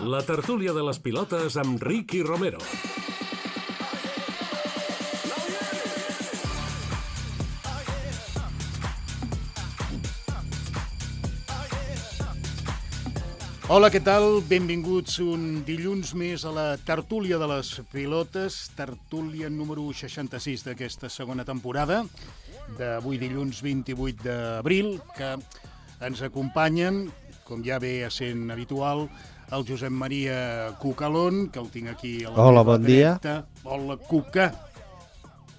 La tertúlia de les pilotes amb Ricky Romero. Hola, què tal? Benvinguts un dilluns més a la tertúlia de les pilotes, tertúlia número 66 d'aquesta segona temporada, d'avui dilluns 28 d'abril, que ens acompanyen, com ja ve sent habitual, el Josep Maria Cucalón, que el tinc aquí a la Hola, bon dia. Hola, Cuca.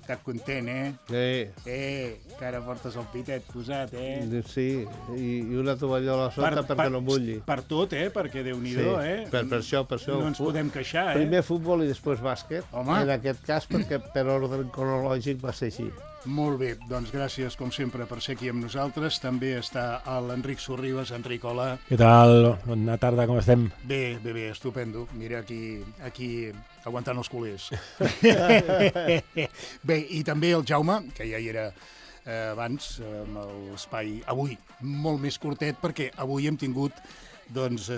Estàs content, Sí. Que ara portes el pitet posat, Sí, i una tovallola a sota perquè no mulli. Per tot, perquè Déu-n'hi-do, Per això. No ens podem queixar, Primer futbol i després bàsquet. Home. En aquest cas, perquè per ordre cronològic va ser així. Molt bé, doncs gràcies, com sempre, per ser aquí amb nosaltres. També està l'Enric Sorribes. Enric, hola. Què tal? Bona tarda, com estem? Bé, estupendo. Mira, aquí aguantant els culers. Bé, i també el Jaume, que ja hi era abans, amb l'espai avui molt més curtet, perquè avui hem tingut que ens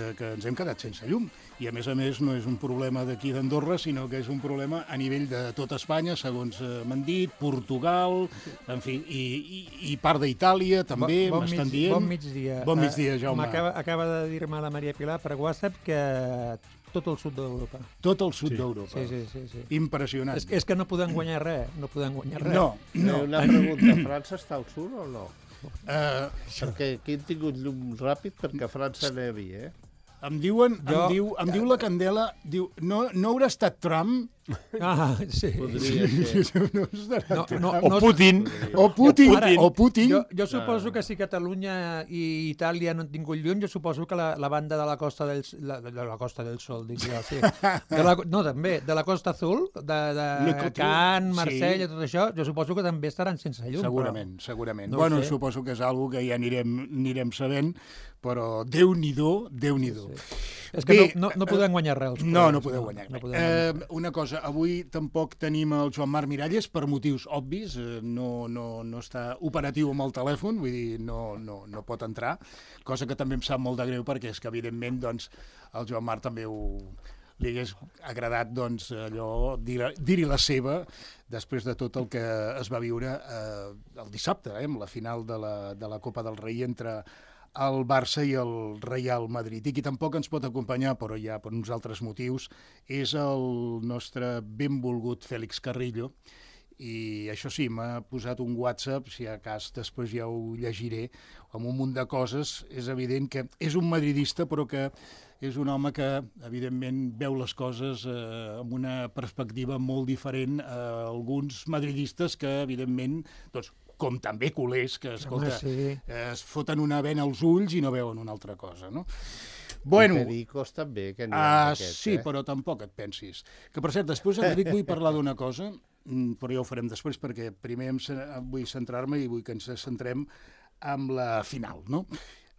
hem quedat sense llum. I a més no és un problema d'aquí d'Andorra, sinó que és un problema a nivell de tot Espanya, segons m'han dit, Portugal, en fi, i part d'Itàlia també, m'estan dient. Bon migdia. Bon migdia, Jaume. Acaba de dir-me la Maria Pilar per WhatsApp que tot el sud d'Europa. Tot el sud d'Europa. Sí. Impressionant. És que no podem guanyar res, No. Una pregunta, França està al sud o no? Perquè aquí hem tingut llum ràpid perquè a França nevi, Em diu la Candela, no haurà estat Trump? Sí. Podria ser. O Putin. O Putin. Jo suposo que si Catalunya i Itàlia no han tingut llum, jo suposo que la banda de la Costa del Sol, diria, sí. També, de la Costa Azul, de Cannes, Marsella, tot això, jo suposo que també estaran sense llum. Segurament. No suposo que és algo que ja anirem sabent, però Déu-n'hi-do. És que no podem guanyar res. No podeu guanyar res. Una cosa, avui tampoc tenim el Joan Marc Miralles per motius obvis, no està operatiu amb el telèfon, vull dir, no pot entrar, cosa que també em sap molt de greu perquè és que evidentment el Joan Marc també li hagués agradat allò dir-hi la seva després de tot el que es va viure el dissabte, amb la final de la Copa del Rei entre el Barça i el Real Madrid. I qui tampoc ens pot acompanyar, però ja per uns altres motius, és el nostre benvolgut Fèlix Carrillo. I això sí, m'ha posat un WhatsApp, si a cas després ja ho llegiré, amb un munt de coses. És evident que és un madridista, però que és un home que, evidentment, veu les coses amb una perspectiva molt diferent a alguns madridistes que, evidentment, com també culers, que, escolta, es foten una vena als ulls i no veuen una altra cosa, no? Bueno, i Pericos també, que n'hi ha aquest, sí, però tampoc et pensis. Que, per cert, després, Enric, vull parlar d'una cosa, però ja ho farem després, perquè primer vull centrar-me i vull que ens centrem amb la final, no?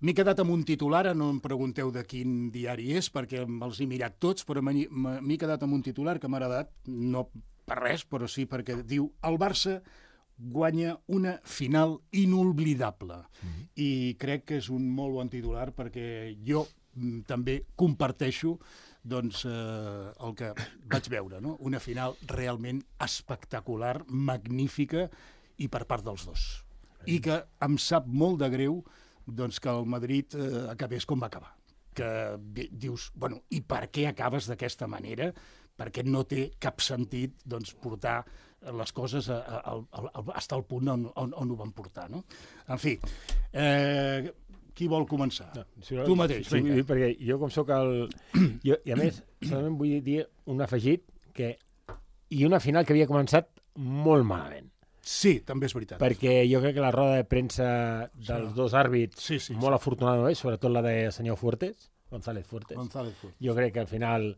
M'he quedat amb un titular, no em pregunteu de quin diari és, perquè me'ls he mirat tots, però m'he quedat amb un titular que m'ha agradat, no per res, però sí perquè diu el Barça guanya una final inolvidable. I crec que és un molt bon titular perquè jo també comparteixo el que vaig veure, no? Una final realment espectacular, magnífica i per part dels dos. I que em sap molt de greu que el Madrid acabés com va acabar. Que dius, i per què acabes d'aquesta manera? Perquè no té cap sentit portar les coses fins al punt on ho van portar, no? En fi, qui vol començar? Tu mateix. Sí, perquè jo com soc I a més, solament vull dir un afegit i una final que havia començat molt malament. Sí, també és veritat. Perquè jo crec que la roda de premsa dels dos àrbits, molt afortunada és, sobretot la del senyor González Fuertes. Jo crec que al final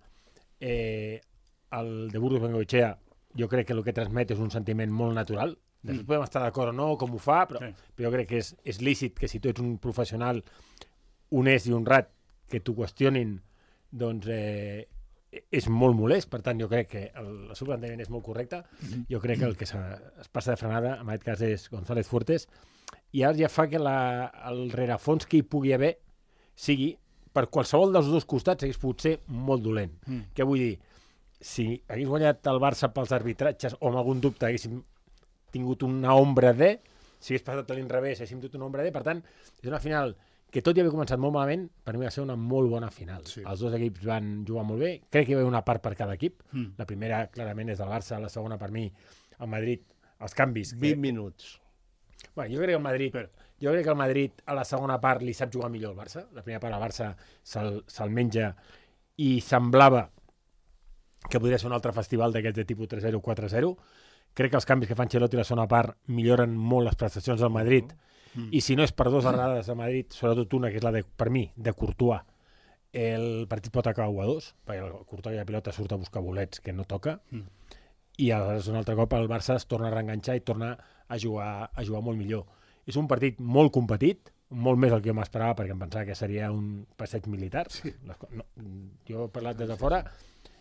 el de Burgos Bengoechea jo crec que el que transmet és un sentiment molt natural. Després podem estar d'acord o no, com ho fa, però jo crec que és lícit que si tu ets un professional honest i honrat que t'ho qüestionin, és molt molest. Per tant, jo crec que el seu plantejament és molt correcte. Jo crec que el que es passa de frenada, en aquest cas, és González Fuertes, i ara ja fa que el rerefons que hi pugui haver sigui per qualsevol dels dos costats hagués pogut ser molt dolent. Què vull dir? Si hagués guanyat el Barça pels arbitratges o amb algun dubte haguéssim tingut una ombra de, si hagués passat a l'inrevés haguéssim tingut una ombra de, per tant, és una final que tot i haver començat molt malament, per mi va ser una molt bona final. Sí. Els dos equips van jugar molt bé, crec que hi va haver una part per cada equip. La primera, clarament, és del Barça, la segona, per mi, el Madrid, els canvis. 20 minuts. Bueno, jo crec que el Madrid a la segona part li sap jugar millor el Barça. La primera part el Barça se'l menja i semblava que podria ser un altre festival d'aquests de tipus 3-0, 4-0. Crec que els canvis que fa Ancelotti a la segona part milloren molt les prestacions del Madrid i si no és per 2 errades a Madrid, sobretot una, que és la de, per mi, de Courtois, el partit pot acabar 1-2, perquè el Courtois i la pilota surt a buscar bolets que no toca i aleshores un altre cop el Barça es torna a reenganxar i torna a jugar molt millor. És un partit molt competit, molt més del que jo m'esperava, perquè em pensava que seria un passeig militar. Sí. Jo he parlat des de fora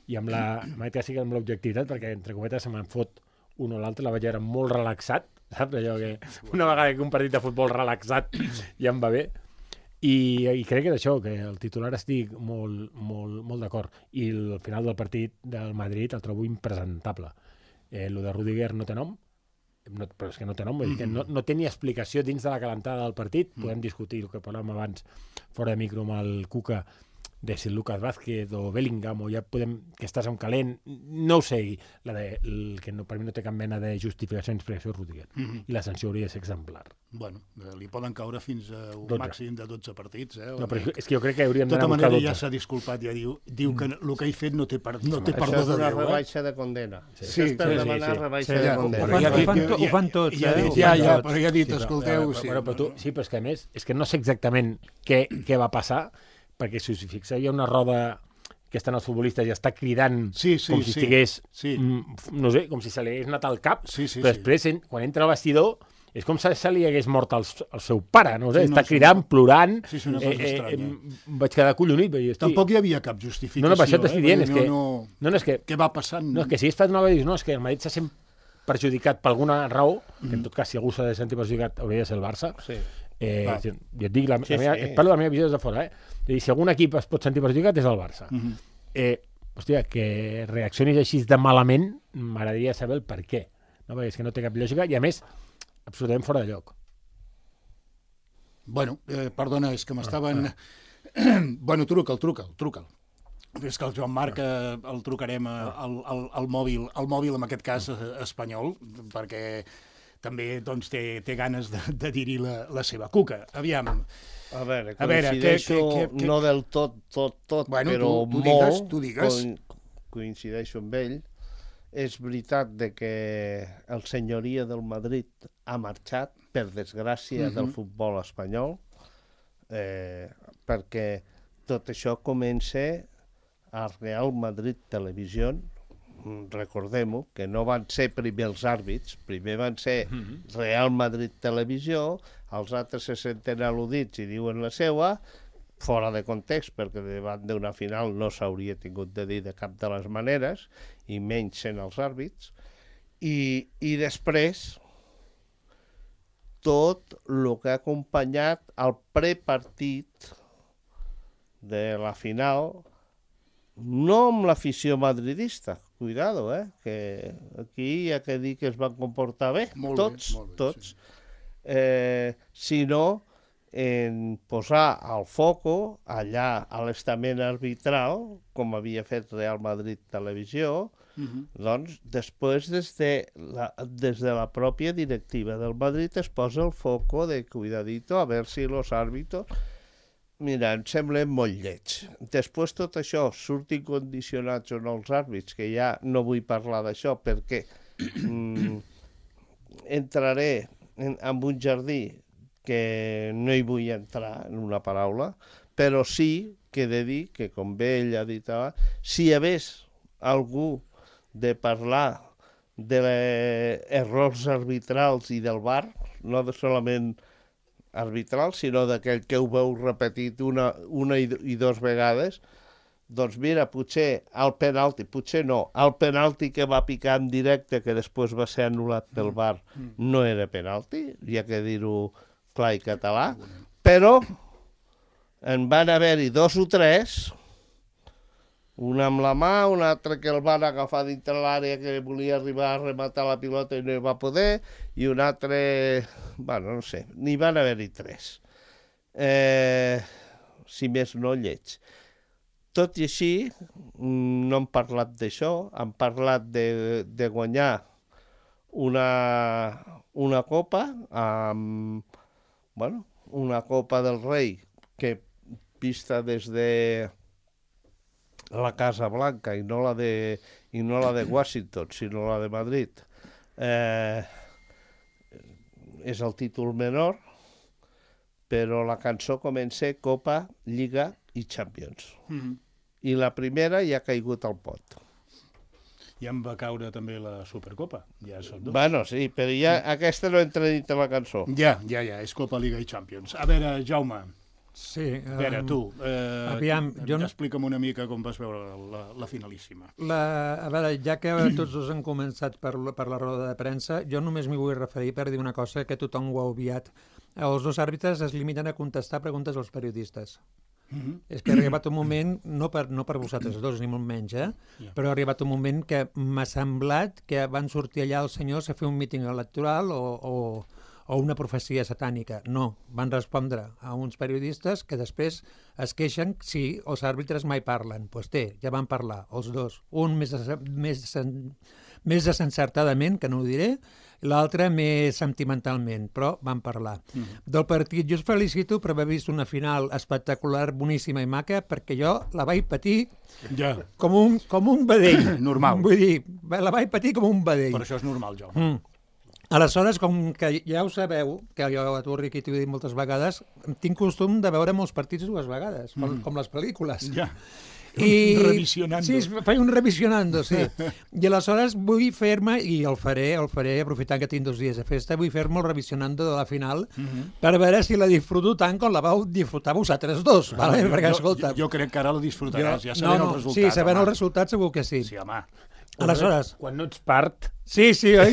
i amb l'objectivitat, perquè entre cometes se me'n fot un o l'altre, la vaig veure molt relaxat, saps? Allò que una vegada que un partit de futbol relaxat ja em va bé. I crec que d'això, que el titular estic molt d'acord. I el final del partit del Madrid el trobo impresentable. Lo de Rudiger no té nom, però és que no té nom, vull dir que no té ni explicació dins de la calentada del partit. Podem discutir el que parlàvem abans fora de micro amb el Cuca, de si Lucas Vázquez o Bellingham, o ja podem que estàs en calent, no ho sé, que per mi no té cap mena de justificació en explicació Rudiger, i la sanció hauria de ser exemplar. Bueno, li poden caure fins a un màxim de 12 partits. No, però és que jo crec que hauríem d'anar a buscar 12. De tota manera ja s'ha disculpat, ja diu que el que he fet no té perdó de Déu. Això és una rebaixa de condena. Sí, per demanar rebaixa de condena. Ho fan tots, Ja, però ja ha dit, escolteu... Sí, però és que a més, és que no sé exactament què va passar, perquè si us fixeu hi ha una roda que estan els futbolistes i està cridant com si estigués, no sé, com si se li hagués anat al cap, però després, quan entra al vestidor, és com si se li hagués mort el seu pare, no sé, està cridant, plorant, vaig quedar collonit. Tampoc hi havia cap justificació. No, per això t'estic dient, és que... Què va passant? No, és que si és fet una vegada, no, és que el Madrid s'ha sent perjudicat per alguna raó, que en tot cas, si algú s'ha de sentir perjudicat, hauria de ser el Barça. Jo et dic, parlo de la meva visió des de fora, si algun equip es pot sentir perjudicat és el Barça. Hòstia, que reaccionis així de malament m'agradaria saber el per què, perquè és que no té cap lògica i a més absolutament fora de lloc. Bueno, perdona, és que m'estaven... Bueno, truca'l. És que el Joan Marc el trucarem al mòbil, en aquest cas espanyol, perquè també doncs, té ganes de dir-hi la seva. Cuca, aviam. A veure, coincideixo no del tot, bueno, però tu digues. Coincideixo amb ell. És veritat que el senyoria del Madrid ha marxat, per desgràcia, del futbol espanyol, perquè tot això comença a Real Madrid Televisió. Recordem-ho, que no van ser primer els àrbits, primer van ser Real Madrid Televisió, els altres se senten al·ludits i diuen la seva, fora de context, perquè davant d'una final no s'hauria tingut de dir de cap de les maneres, i menys sent els àrbits, i després tot el que ha acompanyat el prepartit de la final, no amb l'afició madridista, cuidado, que aquí hi ha que dir que es van comportar bé, tots, sinó en posar el foco allà a l'estament arbitral, com havia fet Real Madrid Televisió, doncs després des de la pròpia directiva del Madrid es posa el foco de cuidadito a ver si los árbitros... Mira, em semblen molt lleig. Després tot això surtin condicionats o no els àrbits, que ja no vull parlar d'això perquè entraré en un jardí que no hi vull entrar en una paraula, però sí que he de dir que, com bé ell ha dit abans, si hi hagués algú de parlar d'errors arbitrals i del VAR, no solament arbitral, sinó d'aquell que ho veu repetit una i dos vegades, doncs mira, potser el penalti que va picar en directe, que després va ser anul·lat pel VAR, no era penalti, hi ha que dir-ho clar i català, però en van haver-hi 2 o 3, un amb la mà, un altre que el van agafar dintre l'àrea que volia arribar a rematar la pilota i no hi va poder, i un altre, bueno, no sé, n'hi van haver-hi 3. Si més no, lleig. Tot i així, no han parlat d'això, han parlat de guanyar una copa, una copa del rei que vista des de la Casa Blanca i no la de Washington, sinó la de Madrid. És el títol menor, però la cançó comença Copa, Lliga i Champions. I la primera ja ha caigut al pot. Ja em va caure també la Supercopa, ja són 2. Bueno, sí, però ja aquesta no entra dintre la cançó. Ja, és Copa, Lliga i Champions. A veure, Jaume, sí, a veure, tu, aviam, explica'm una mica com vas veure la finalíssima. A veure, ja que tots dos han començat per la roda de premsa, jo només m'hi vull referir per dir una cosa que tothom ho ha obviat. Els 2 àrbitres es limiten a contestar preguntes als periodistes. És que ha arribat un moment, no per vosaltres dos, ni molt menys, però ha arribat un moment que m'ha semblat que van sortir allà els senyors a fer un míting electoral o una profecia satànica. No, van respondre a uns periodistes que després es queixen si els àrbitres mai parlen. Doncs ja van parlar, els dos. Un més desencertadament, que no ho diré, l'altre més sentimentalment, però van parlar. Del partit, jo us felicito per haver vist una final espectacular, boníssima i maca, perquè jo la vaig patir com un vedell. Normal. Vull dir, la vaig patir com un vedell. Per això és normal, Jaume. Aleshores, com que ja ho sabeu, que jo a tu, Riqui, t'ho he dit moltes vegades, tinc costum de veure molts partits 2 vegades, com les pel·lícules. Ja. Revisionando. Sí, faig un revisionando, sí. I aleshores vull fer-me, i el faré, aprofitant que tinc 2 dies de festa, vull fer-me el revisionando de la final per veure si la disfruto tant com la vau disfrutar vosaltres dos. Vale? Perquè, escolta... Jo crec que ara la disfrutaràs, ja sabent el resultat. Sí, sabent el resultat segur que sí. Sí, home. Aleshores... Quan no ets part... Sí, ja.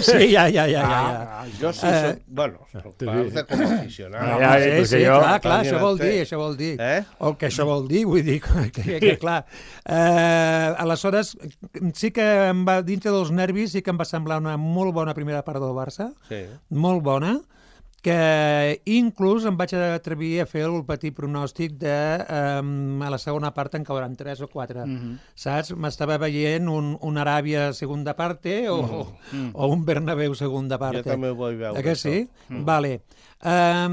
Jo sí soc... Bueno, soc part de com a aficionat. Sí, clar, això vol dir. El que això vol dir, vull dir, que clar. Aleshores, sí que em va, dintre dels nervis, sí que em va semblar una molt bona primera part del Barça, molt bona, que inclús em vaig atrevir a fer el petit pronòstic de a la segona part en cauran 3 o 4. Saps? M'estava veient un Aràbia segunda parte o un Bernabéu segunda parte. Jo també ho vull veure. Que sí? Vale. A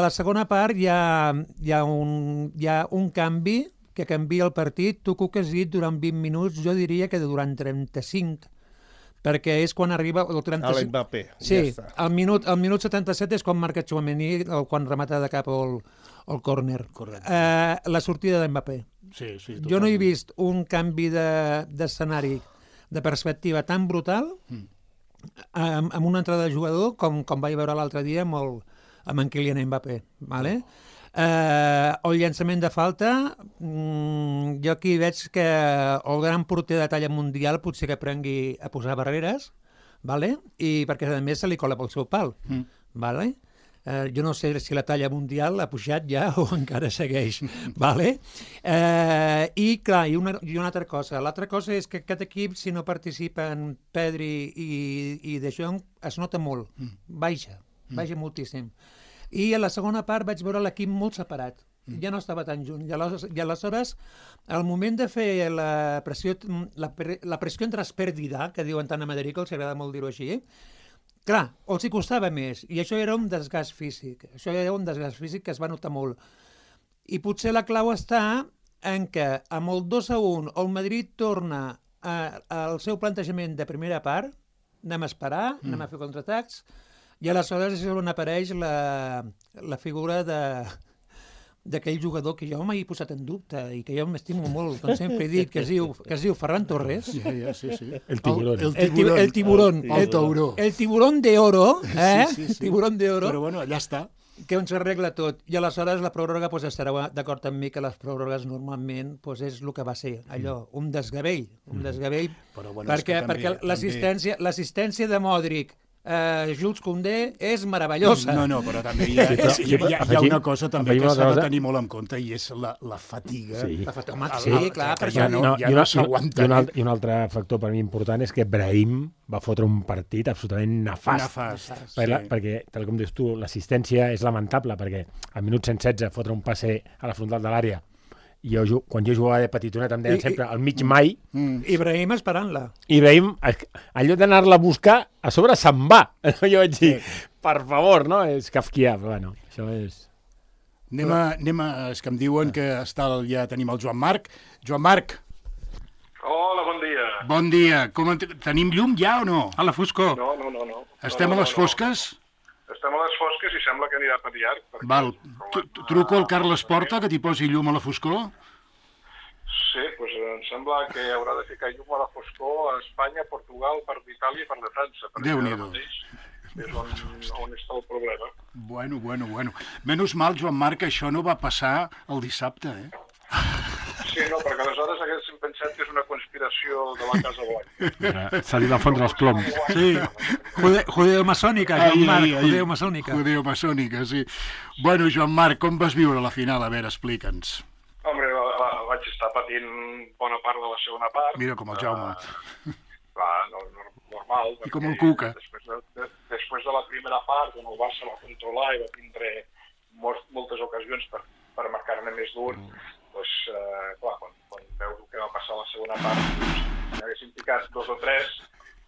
la segona part hi ha un canvi que canvia el partit. Tu que ho has dit durant 20 minuts, jo diria que durant 35, perquè és quan arriba el 35... A l'Mbappé, sí, ja està. El minut 77 és quan marca Tchouaméni, quan remata de cap el córner. La sortida d'Mbappé. Sí, jo no he vist un canvi d'escenari, de perspectiva tan brutal amb una entrada de jugador com vaig veure l'altre dia amb en Kylian Mbappé. Vale? El llançament de falta, jo aquí veig que el gran porter de talla mundial potser que aprengui a posar barreres, vale? I perquè a més se li cola pel seu pal. Vale? Jo no sé si la talla mundial ha pujat ja o encara segueix. Vale? I clar, i una altra cosa. L'altra cosa és que aquest equip, si no participen Pedri i De Jong, es nota molt. Baixa moltíssim. I a la segona part vaig veure l'equip molt separat. Ja no estava tan junt. I aleshores, al moment de fer la pressió entre espèrdida, que diuen tant a Madrid, que els agrada molt dir-ho així, clar, els hi costava més. I això era un desgast físic. Que es va notar molt. I potser la clau està en que amb el 2-1 el Madrid torna al seu plantejament de primera part, anem a esperar, anem a fer contraatacs, i aleshores és on apareix la figura d'aquell jugador que jo m'he posat en dubte i que jo m'estimo molt, com sempre he dit, que es diu Ferran Torres. Sí. El tiburón. El tauró. El tiburón de oro, Sí. Tiburón de oro. Però bueno, allà està. Que on s'arregla tot. I aleshores la pròrroga, estarà d'acord amb mi que les pròrrogues normalment és el que va ser, allò, un desgavell, perquè l'assistència de Modric Jules Koundé és meravellosa. No, però també hi ha una cosa també que s'ha de tenir molt en compte i és la fatiga. Sí, clar, per això. I un altre factor per mi important és que Brahim va fotre un partit absolutament nefast. Perquè, tal com dius tu, l'assistència és lamentable, perquè al minut 116 fotre un passe a la frontal de l'àrea. Quan jo jugava de petitonet em deien sempre al mig mai. Ibrahim esperant-la. Ibrahim, en lloc d'anar-la a buscar, a sobre se'n va. Jo vaig dir, per favor, no? És kafkià, però bueno, això és... Anem a... És que em diuen que ja tenim el Joan Marc. Joan Marc. Hola, bon dia. Bon dia. Tenim llum ja o no? A la foscor. No. Estem a les fosques? Estem a les fosques i sembla que anirà a patiar. Val. Truco al Carles Porta que t'hi posi llum a la foscor? Sí, doncs em sembla que haurà de ficar llum a la foscor a Espanya, Portugal, per Itàlia i per de França. Déu-n'hi-do. És on està el problema. Bueno. Menys mal, Joan Marc, això no va passar el dissabte, Sí, no, perquè aleshores haguéssim pensat que és una conspiració de la Casa Blanca. S'ha dit a fondre els ploms. Sí, judeo-maçònica, Joan Marc, judeo-maçònica. Judeo-maçònica, sí. Bueno, Joan Marc, com vas viure la final? A veure, explica'ns. Home, vaig estar patint bona part de la segona part. Mira com el Jaume. Normal. I com el Cuca. Després de la primera part, on el Barça va controlar i va tindre moltes ocasions per marcar-ne més d'un, doncs, clar, quan veus el que va passar a la segona part, si haguéssim picat 2 o 3,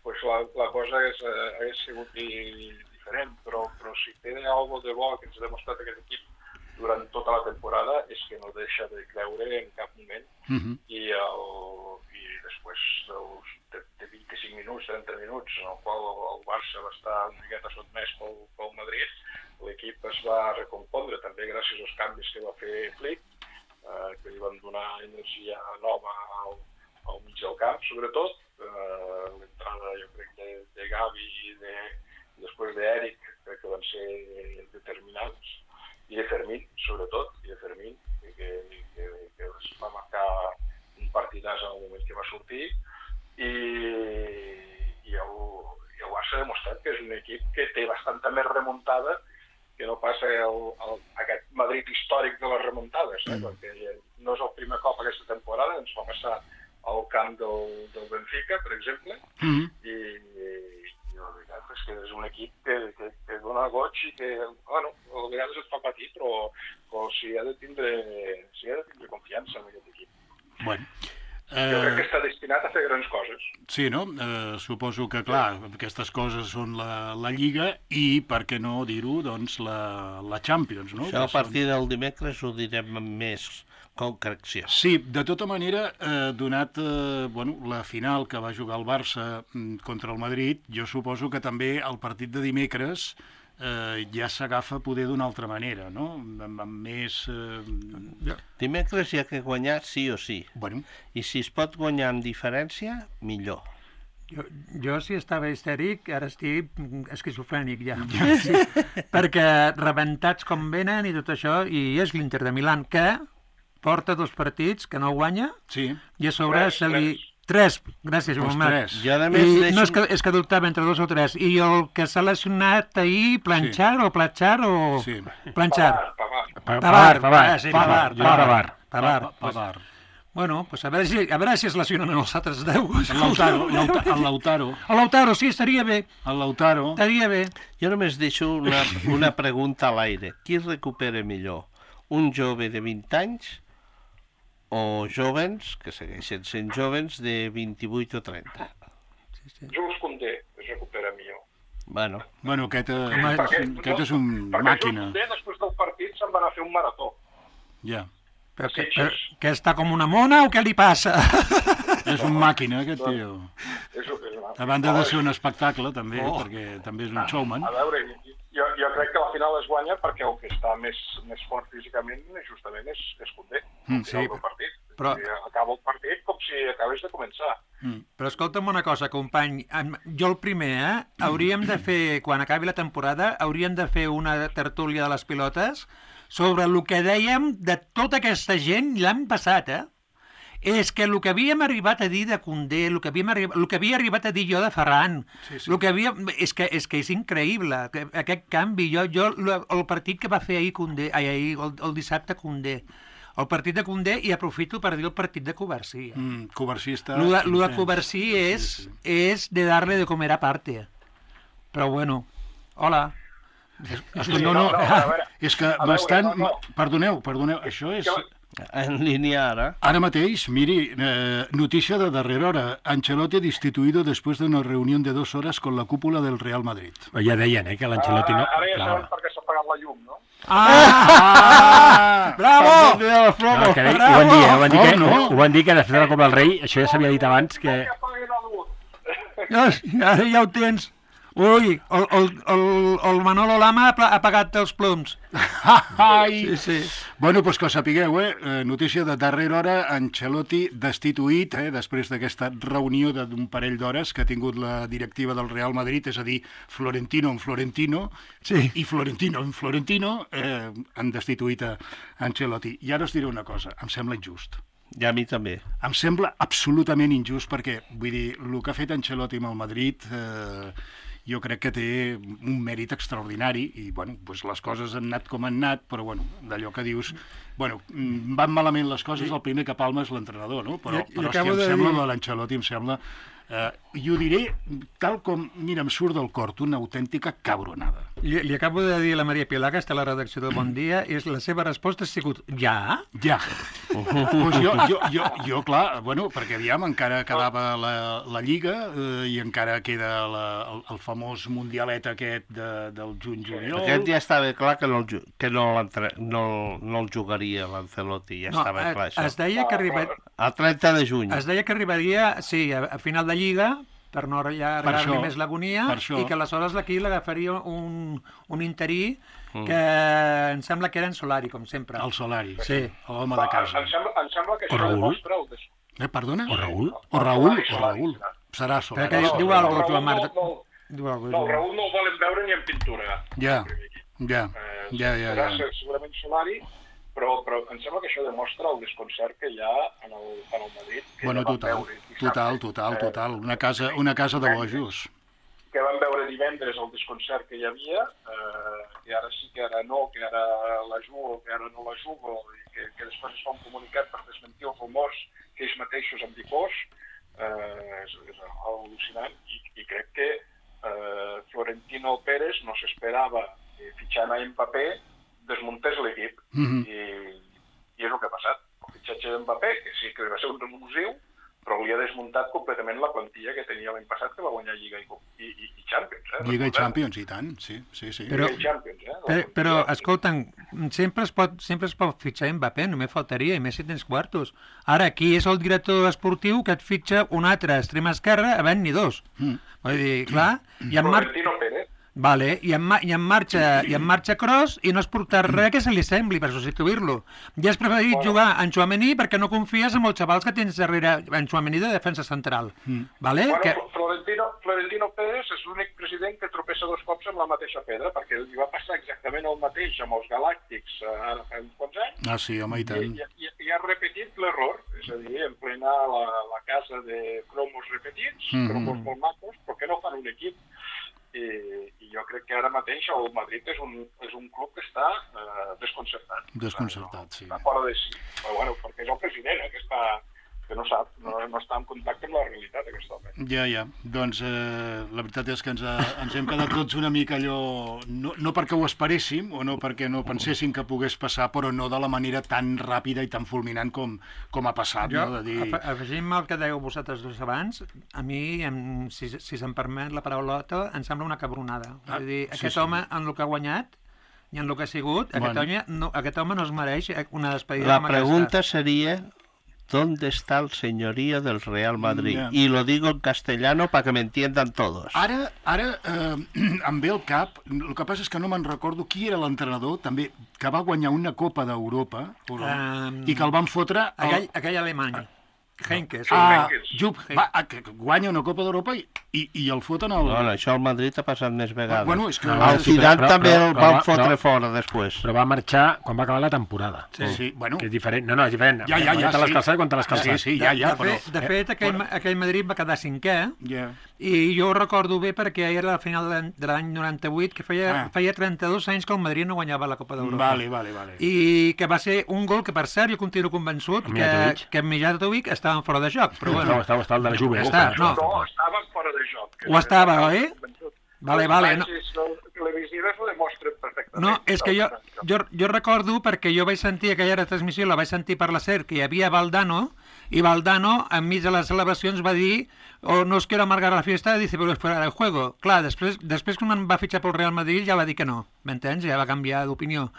doncs la cosa hagués sigut diferent, però si té alguna de bo que ens ha demostrat aquest equip durant tota la temporada és que no deixa de creure en cap moment i després de 25 minuts, 30 minuts, en el qual el Barça va estar una miqueta sotmès pel Madrid, l'equip es va recompondre també gràcies als canvis que va fer Flick, que li van donar energia nova al mig del camp, sobretot. L'entrada, jo crec, de Gavi i després d'Eric, crec que van ser determinants, i de Fermín, sobretot, que es va marcar un partidàs en el moment que va sortir, i el Barça ha demostrat que és un equip que té bastanta més remuntada que no passa aquest Madrid històric de les remuntades, perquè no és el primer cop aquesta temporada, ens va passar al camp del Benfica, per exemple, i la veritat és que és un equip que dona goig i que, bueno, a vegades et fa patir, però si ha de tindre confiança en aquest equip. Bueno. Jo crec que està destinat a fer grans coses. Sí, no? Suposo que, clar, aquestes coses són la Lliga i, per què no dir-ho, doncs la Champions, no? Això a partir del dimecres ho direm amb més concreció. Sí, de tota manera, donat la final que va jugar el Barça contra el Madrid, jo suposo que també el partit de dimecres ja s'agafa poder d'una altra manera, no? Amb més... Dimecres hi ha que guanyar sí o sí. Bueno. I si es pot guanyar amb diferència, millor. Jo si estava histèric, ara estic esquizofrènic ja. Sí, perquè rebentats com venen i tot això, i és l'Inter de Milán, que porta 2 partits, que no guanya, sí. I a sobre se li... 3, gràcies, Joan Marc. No, és que dubtava entre 2 o 3. I el que s'ha lesionat ahir, Planchar o Platchar o... Sí. Planchar. Pavar. Bueno, pues a veure si es lesionen els altres 10. El Lautaro. El Lautaro, sí, estaria bé. El Lautaro. Estaria bé. Jo només deixo una pregunta a l'aire. Qui recupera millor? Un jove de 20 anys o jovens, que segueixen sent jovens, de 28 o 30. Jules Koundé es recupera millor. Bueno, aquest és un màquina. Perquè Jules Koundé, després del partit, se'n va anar a fer un marató. Ja. Però que està com una mona o què li passa? És un màquina, aquest tio. A banda de ser un espectacle, també, perquè també és un showman. A veure, jo crec que la final es guanya perquè el que està més fort físicament justament és Koundé. Sí, però acaba el partit com si acabés de començar. Però escolta'm una cosa, company, jo el primer, hauríem de fer, quan acabi la temporada, hauríem de fer una tertúlia de les pilotes sobre el que dèiem de tota aquesta gent l'any passat, És que el que havíem arribat a dir de Koundé, el que havia arribat a dir jo de Ferran, és que és increïble, aquest canvi. Jo el partit que va fer ahir Koundé, el dissabte Koundé, el partit de Koundé, i aprofito per dir el partit de Covarsí. Covarsí està... Lo de Covarsí és de darle de comer aparte. Però bueno, hola. És que bastant... Perdoneu, això és... En línia ara. Ara mateix, miri, notícia de darrera hora. Ancelotti destituido después de una reunión de 2 horas con la cúpula del Real Madrid. Ja deien, que l'Ancelotti no... Ara ja saben per què s'ha apagat la llum, no? Bravo! Ho van dir que després de la Copa del Rei, això ja s'havia dit abans, que... Ja ho tens. Ui, el Manolo Lama ha apagat els ploms. Sí. Bueno, doncs que ho sapigueu, notícia de darrera hora, Ancelotti destituït, després d'aquesta reunió d'un parell d'hores que ha tingut la directiva del Real Madrid, és a dir, Florentino en Florentino, i Florentino en Florentino, han destituït a Ancelotti. I ara us diré una cosa, em sembla injust. I a mi també. Em sembla absolutament injust perquè, vull dir, el que ha fet Ancelotti amb el Madrid... jo crec que té un mèrit extraordinari i, bueno, doncs les coses han anat com han anat, però, bueno, d'allò que dius... Bueno, van malament les coses, el primer que palma és l'entrenador, no? Però hòstia, em sembla de l'Ancelotti, em sembla... I ho diré tal com, mira, em surt del cor, una autèntica cabronada. Li acabo de dir a la Maria Pilar, que està a la redacció del Bon Dia, i la seva resposta ha sigut ja? Ja. Pues jo, clar, bueno, perquè aviam, encara quedava la Lliga i encara queda el famós mundialet aquest del juny-juliol. Aquest ja estava clar que no el jugaria l'Ancelotti, ja estava clar això. Es deia que arribaria... El 30 de juny. Es deia que arribaria, sí, a final de Lliga, per no allargar-li més l'agonia, i que aleshores aquí l'agafaria un interí que em sembla que era en Solari, com sempre. El Solari, sí, l'home de casa. Em sembla que això demostra el... Perdona? O Raül. Serà Solari. Diu alguna cosa, Marc. No, Raül no el volen veure ni en pintura. Ja. Segurament Solari, però em sembla que això demostra el desconcert que hi ha en el Madrid. Bueno, total. Una casa de bojos. Que van veure divendres el desconcert que hi havia, que ara sí, que ara no, que ara la jugo, que ara no la jugo, i que després es fa un comunicat per desmentir els rumors que ells mateixos han difós, és al·lucinant, i crec que Florentino Pérez no s'esperava fitxant a Mbappé desmuntés l'equip, i és el que ha passat. El fitxatge d'Mbappé, que sí que va ser un revulsiu, però li ha desmuntat completament la plantilla que tenia l'any passat, que va guanyar Lliga i Champions. Lliga i Champions, i tant, sí. Però escolta'm, sempre es pot fitxar Mbappé, només faltaria, i més si tens quartos. Ara, qui és el director esportiu que et fitxa un altre extrem esquerra havent-n'hi dos? Vull dir, clar... Florentino Pérez. Vale, i en marxa Kroos i no has portat res que se li sembli per substituir-lo. Ja has preferit jugar en Tchouaméni perquè no confies en els xavals que tens darrere en Tchouaméni de defensa central. Vale? Florentino Pérez és l'únic president que tropessa 2 cops amb la mateixa pedra, perquè li va passar exactament el mateix amb els Galàctics ara fa uns quants anys. Ah, sí, home, i tant. I ha repetit l'error, és a dir, emplenar la casa de cromos repetits, cromos molt macos, però que no fan un equip. I jo crec que ara mateix el Madrid és un club que està desconcertat. Desconcertat, sí. Està fora de si. Però bueno, perquè és el president, que no sap, no està en contacte amb la realitat, aquest home. Ja. Doncs la veritat és que ens hem quedat tots una mica allò... No perquè ho esperéssim, o no perquè no penséssim que pogués passar, però no de la manera tan ràpida i tan fulminant com ha passat. Jo, afegint-me el que dèieu vosaltres dos abans, a mi, si se'm permet la paraulota, em sembla una cabronada. És a dir, aquest home, en el que ha guanyat, i en el que ha sigut, aquest home no es mereix una despedida amb aquesta. La pregunta seria... ¿Dónde está el señorío del Real Madrid? Yeah. Y lo digo en castellano para que me entiendan todos. Ara em ve al cap, el que passa és que no me'n recordo qui era l'entrenador, també, que va guanyar una Copa d'Europa, i que el van fotre... Aquell alemany. Heynckes. Jupp Heynckes, que guanya una Copa d'Europa i el foten al... No, això al Madrid ha passat més vegades. Bueno, és que... El Zidane també el van fotre fora després. Però va marxar quan va acabar la temporada. Sí, bueno... Que és diferent. No, és diferent. Ja, quan te l'has calçat, quan te l'has calçat. Sí, ja, però... De fet, aquell Madrid va quedar 5è, Ja. i jo ho recordo bé perquè era la final de l'any 98, que feia 32 anys que el Madrid no guanyava la Copa d'Europa. Vale. I que va ser un gol que, per cert, jo continuo convençut que Mijatovic estava fora de joc. Però bueno, estava el de la Juve. No, estava fora de joc. Ho estava, oi? Vale. Les televisives ho demostren perfectament. No, és que jo recordo, perquè jo vaig sentir aquella transmissió, la vaig sentir per la SER, que hi havia Valdano, i Valdano, enmig de les celebracions, va dir no os quiero amargar la fiesta, dice, pero es fuera del juego. Clar, després quan em va fitxar pel Real Madrid ja va dir que no, m'entens? Ja va canviar d'opinió.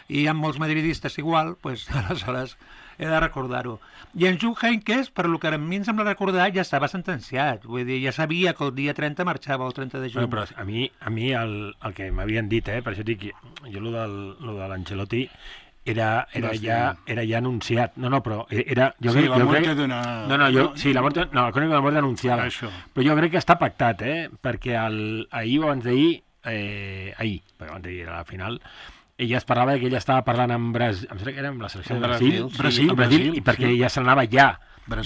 I hi ha molts madridistes igual, pues, aleshores he de recordar-ho. I en Jupp Heynckes, per lo que a mi em sembla recordar, ja estava sentenciat. Vull dir, ja sabia que el dia 30 marxava, el 30 de juny. Però a mi el que m'havien dit, per això dic, jo lo de l'Ancelotti era ja anunciat. No, però era... Sí, la mort d'una... Sí, la crònica de la mort anunciada. Però jo crec que està pactat, perquè ahir o abans d'ahir, perquè abans d'ahir era la final, ella es parlava que ella estava parlant amb Brasil, em sembla que era amb la selecció de Brasil, i perquè ja se n'anava ja.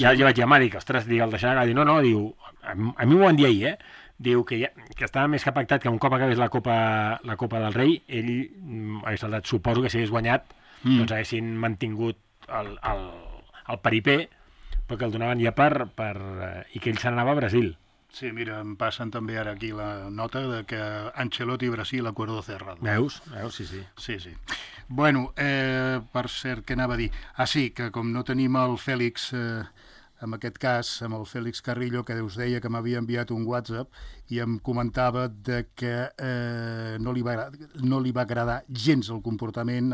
Ja vaig llamar, dic, ostres, el deixarà, diu, no, diu, a mi m'ho van dir ahir, diu que estava més que pactat que un cop acabés la Copa del Rei, ell hagués saltat, suposo que si hagués guanyat, doncs haguessin mantingut el peripé, perquè el donaven ja i que ell se n'anava a Brasil. Sí, mira, em passen també ara aquí la nota de que Ancelotti i Brasil, acuerdo cerrado. Veus? Sí. Sí. Bueno, per cert, què anava a dir? Sí, que com no tenim el Fèlix, en aquest cas, amb el Fèlix Carrillo, que us deia que m'havia enviat un WhatsApp i em comentava de que no li va agradar gens el comportament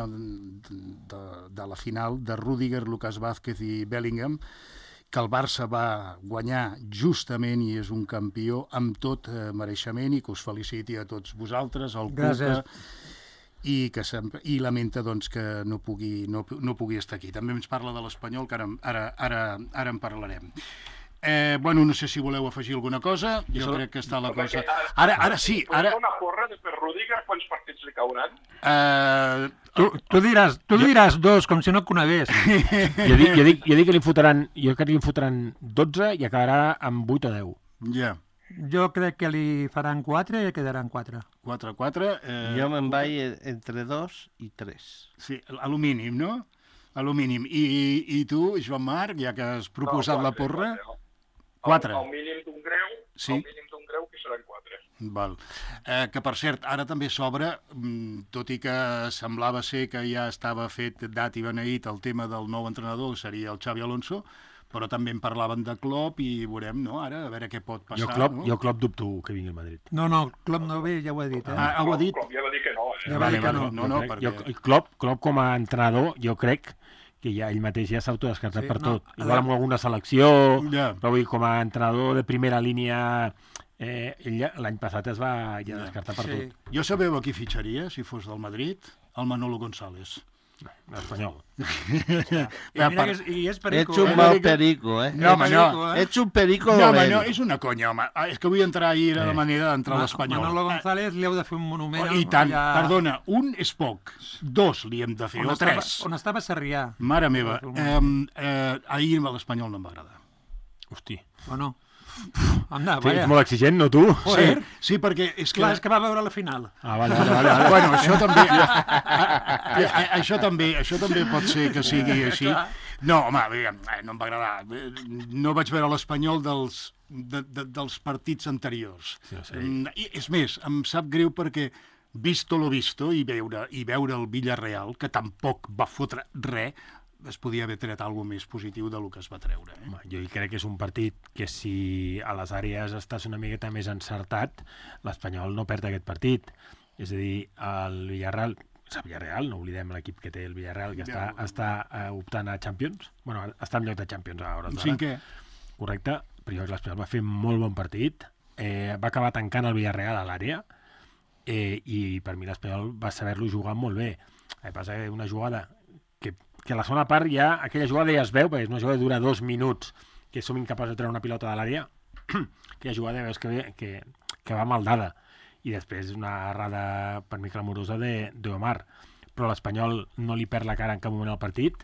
de la final de Rüdiger, Lucas Vázquez i Bellingham, que el Barça va guanyar justament i és un campió amb tot mereixement i que us feliciti a tots vosaltres, al Cuca, i lamenta doncs, que no pugui estar aquí. També ens parla de l'Espanyol, que ara en parlarem. Bueno, no sé si voleu afegir alguna cosa, jo crec que està la cosa... Ara sí, ara... Una porra de per Rüdiger, quants partits li cauran? Tu diràs 2, com si no et conegués. Jo dic que li fotran 12 i acabarà amb 8 o 10. Ja. Jo crec que li faran 4 i quedaran 4. 4. Jo me'n vaig entre 2 i 3. Sí, a lo mínim, no? A lo mínim. I tu, Joan Marc, ja que has proposat la porra... 4. El mínim d'un greu, sí. Que seran 4. Val. Que, per cert, ara també s'obre, tot i que semblava ser que ja estava fet dat i beneït el tema del nou entrenador, que seria el Xavi Alonso, però també en parlaven de Klopp i veurem, no?, ara, a veure què pot passar. Jo Klopp dubto que vingui al Madrid. No, Klopp no ve, ja ho he dit. Ho ha dit? Klopp ja va dir que no. Ja va dir que no. No, perquè... Klopp com a entrenador, jo crec que ja ell mateix ja s'autodescartat per tot. Igual amb alguna selecció, però vull dir, com a entrenador de primera línia, ell l'any passat es va ja descartar per tot. Jo sabeu a qui fitxaria, si fos del Madrid? El Manolo González. L'Espanyol. I és perico. Ets un mal perico, No, home, no. Ets un perico dolent. No, home, no, és una conya, home. És que vull entrar ahir a la manera d'entrar a l'Espanyol. Manolo González li heu de fer un monument. I tant, perdona, un és poc, 2 li hem de fer, o 3. On estava Sarrià. Mare meva, ahir a l'Espanyol no em va agradar. Hosti. O no? Anda, és molt exigent, no tu? Sí, perquè és que... Clar, és que va veure la final. Vale. Bueno, això també pot ser que sigui així. No, home, no em va agradar. No vaig veure l'Espanyol dels partits anteriors. I, és més, em sap greu perquè visto lo visto i veure el Villarreal, que tampoc va fotre res, es podia haver tret alguna més positiu del que es va treure. Jo crec que és un partit que si a les àrees estàs una miqueta més encertat, l'Espanyol no perd aquest partit. És a dir, el Villarreal, no oblidem l'equip que té el Villarreal, que està optant a Champions. Bueno, està en lloc de Champions a hores d'ara. 5è. Correcte, però l'Espanyol va fer molt bon partit, va acabar tancant el Villarreal a l'àrea, i per mi l'Espanyol va saber-lo jugar molt bé. El que passa que una jugada que a la segona part ja, aquella jugada ja es veu, perquè és una jugada que dura 2 minuts que som incapaços de treure una pilota de l'àrea, que ha jugat, veus que va mal dada. I després una errada per mi clamorosa d'Omar. Però l'Espanyol no li perd la cara en cap moment al partit,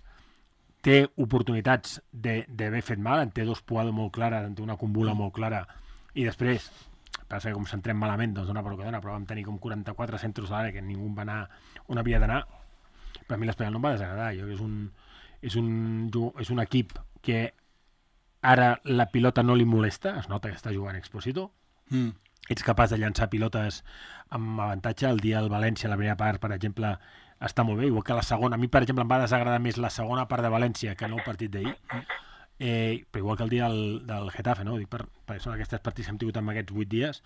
té oportunitats d'haver fet mal, en té dos poades molt clares, en té una combula molt clara, i després, passa que com s'entrem malament, doncs dona per que dona, però vam tenir com 44 centres a l'àrea que ningú va anar on havia d'anar. Per mi l'Espanyol no em va desagradar. Jo és un equip que ara la pilota no li molesta, es nota que està jugant Expósito, ets capaç de llançar pilotes amb avantatge. El dia del València, la primera part, per exemple, està molt bé, igual que la segona. A mi, per exemple, em va desagradar més la segona part de València que no el partit d'ahir. Però igual que el dia del Getafe, no? Dic perquè són aquests partits que hem tingut en aquests 8 dies,